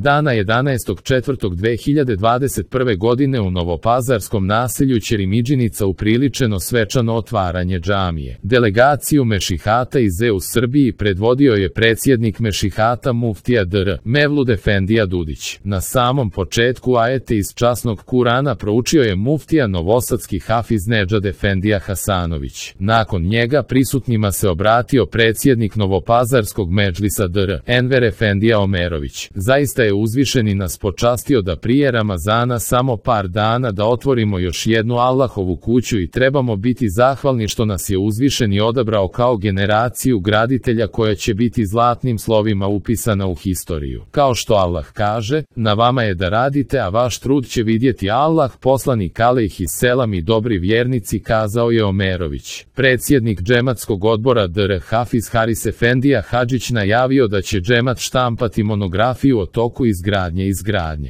Dana 11.4.2021. godine u novopazarskom naselju Ćerimidžinica upriličeno svečano otvaranje džamije. Delegaciju Mešihata iz EU Srbiji predvodio je predsjednik Mešihata muftija dr. Mevlud Efendija Dudić. Na samom početku ajete iz časnog Kurana proučio je muftija novosadski Hafiz Nedžad Efendija Hasanović. Nakon njega prisutnima se obratio predsjednik novopazarskog medžlisa dr. Enver Efendija Omerović. Zaista je uzvišeni nas počastio da prije Ramazana samo par dana da otvorimo još jednu Allahovu kuću i trebamo biti zahvalni što nas je uzvišeni odabrao kao generaciju graditelja koja će biti zlatnim slovima upisana u historiju. Kao što Allah kaže, na vama je da radite, a vaš trud će vidjeti Allah. Poslanik alejhi selam i dobri vjernici, kazao je Omerović. Predsjednik džematskog odbora dr. Hafiz Haris Efendija Hadžić najavio da će džemat štampati monografiju o toku izgradnje.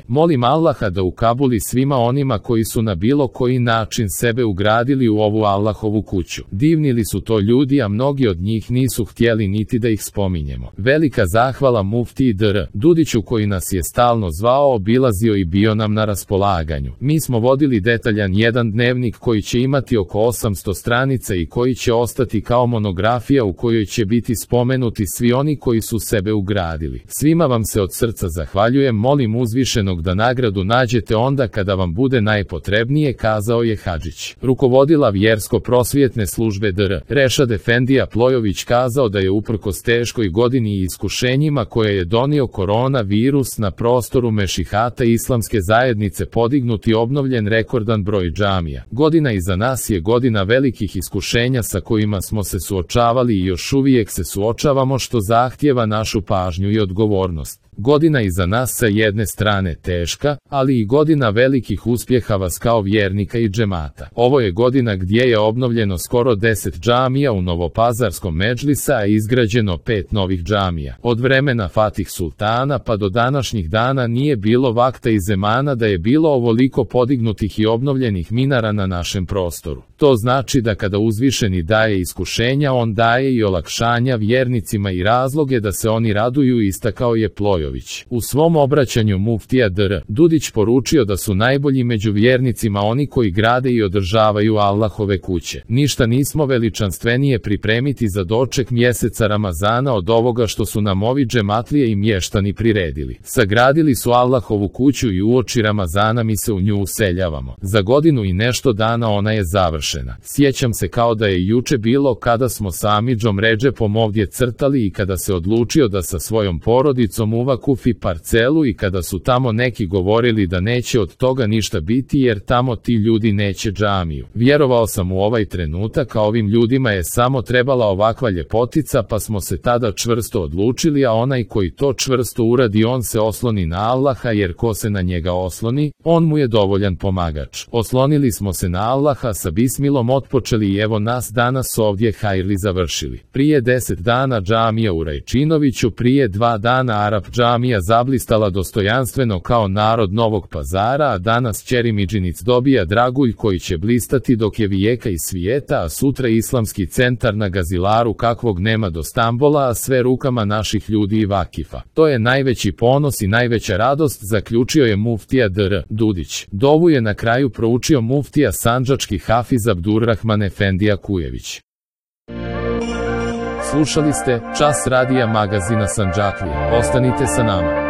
Molim Allaha da ukabuli svima onima koji su na bilo koji način sebe ugradili u ovu Allahovu kuću. Divnili su to ljudi, a mnogi od njih nisu htjeli niti da ih spominjemo. Velika zahvala muftiji dr. Dudiću koji nas je stalno zvao, obilazio i bio nam na raspolaganju. Mi smo vodili detaljan jedan dnevnik koji će imati oko 800 stranica i koji će ostati kao monografija u kojoj će biti spomenuti svi oni koji su sebe ugradili. Svima vam se od srca zahvaljujem, molim uzvišenog da nagradu nađete onda kada vam bude najpotrebnije, kazao je Hadžić. Rukovodila vjersko-prosvjetne službe dr. Rešad Efendija Plojović kazao da je uprkos teškoj godini i iskušenjima koje je donio koronavirus na prostoru Mešihata islamske zajednice podignut i obnovljen rekordan broj džamija. Godina iza nas je godina velikih iskušenja sa kojima smo se suočavali i još uvijek se suočavamo, što zahtijeva našu pažnju i odgovornost. Godina iza nas sa jedne strane teška, ali i godina velikih uspjeha vas kao vjernika i džemata. Ovo je godina gdje je obnovljeno skoro 10 džamija u novopazarskom medžlisa, a izgrađeno 5 novih džamija. Od vremena Fatih Sultana pa do današnjih dana nije bilo vakta i zemana da je bilo ovoliko podignutih i obnovljenih minara na našem prostoru. To znači da kada uzvišeni daje iskušenja, on daje i olakšanja vjernicima i razloge da se oni raduju, istakao je Plojović. U svom obraćanju muftija dr. Dudić poručio da su najbolji među vjernicima oni koji grade i održavaju Allahove kuće. Ništa nismo veličanstvenije pripremiti za doček mjeseca Ramazana od ovoga što su nam ovi džematlije i mještani priredili. Sagradili su Allahovu kuću i uoči Ramazana mi se u nju useljavamo. Za godinu i nešto dana ona je završena. Sjećam se kao da je juče bilo kada smo sa Amidžom Redžepom ovdje crtali i kada se odlučio da sa svojom porodicom kupi parcelu i kada su tamo neki govorili da neće od toga ništa biti jer tamo ti ljudi neće džamiju. Vjerovao sam u ovaj trenutak, a ovim ljudima je samo trebala ovakva ljepotica, pa smo se tada čvrsto odlučili, a onaj koji to čvrsto uradi on se osloni na Allaha, jer ko se na njega osloni, on mu je dovoljan pomagač. Oslonili smo se na Allaha, sa bismilom otpočeli i evo nas danas ovdje hajrli završili. Prije 10 dana džamija u Rajčinoviću, prije 2 dana Arap džamija zablistala dostojanstveno kao narod Novog Pazara, a danas Ćerimidžinic dobija dragulj koji će blistati dok je vijeka i svijeta, a sutra islamski centar na Gazilaru kakvog nema do Stambola, a sve rukama naših ljudi i vakifa. To je najveći ponos i najveća radost, zaključio je muftija dr. Dudić. Dovu je na kraju proučio muftija sandžački Hafiz Abdurrahman Efendija Kujević. Slušali ste Čas radija magazina Sandžaklije. Ostanite sa nama.